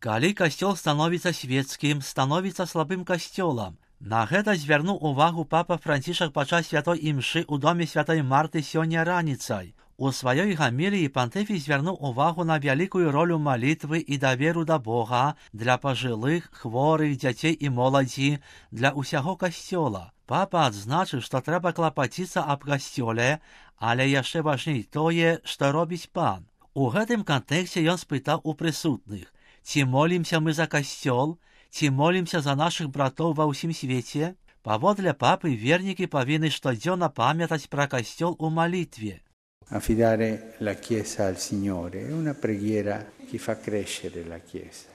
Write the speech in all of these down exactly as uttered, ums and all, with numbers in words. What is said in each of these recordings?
Калі касцёл становіцца свецкім, становіцца слабым касцёлам. На гэта звярнуў увагу папа Францішак падчас святой імшы ў доме святой Марты сёння раніцай. У сваёй гаміліі пантыфік звярнуў увагу на вялікую ролю малітвы і даверу да Бога для пажылых, хворых, дзяцей і моладзі, для ўсяго касцёла. Папа адзначыў, што трэба клапаціцца аб касцёле, але яшчэ важней тое, што робіць пан. У гэтым кантэксце ён спытаў у прысутных: ці молімся мы за касцёл, ці молімся за нашых братоў ва ўсім свеце? Паводле папы вернікі павінны штодзённа памятаць пра касцёл у малітве. Affidare la Chiesa al Signore è una preghiera che fa crescere la Chiesa.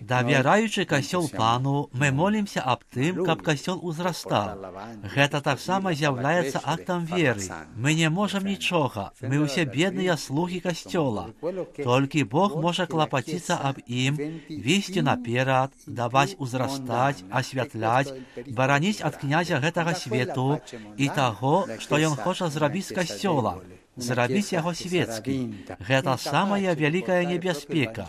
Давяраючы касцёл пану, мы молімся аб тым, каб касцёл узрастаў. Гэта таксама з'яўляецца актам веры. Мы не можам нічога, мы ўсе бедныя слугі касцёла. Толькі Бог можа клапаціцца аб ім, весці наперад, даваць узрастаць, асвятляць, бараніць ад князя гэтага свету і таго, што ён хоча зрабіць з касцёла. Зрабіць яго свецкі. Гэта самая вялікая небяспека.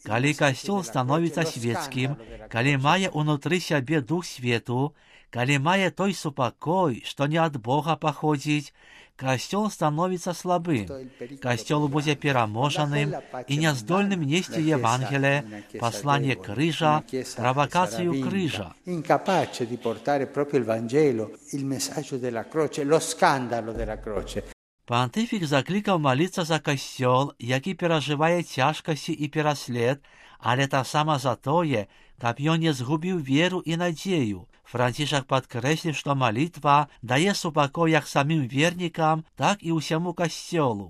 Калі касцёл становіцца свецкім, калі мае ўнутры сябе дух свету, калі мае той супакой, што не ад Бога паходзіць, касцёл становіцца слабым. Касцёл будзе пераможаным і няздольным несці Евангелие, пасланне крыжа, правакацыю крыжа. Incapace di portare proprio il Vangelo, il messaggio della croce, lo scandalo della croce. Пантыфік заклікаў маліцца за касцёл, які перажывае цяжкасці і пераслед, але таксама за тое, каб ён не згубіў веру і надзею. Францішак падкрэсліў, што малітва дае супакой як самім вернікам, так і ўсяму касцёлу.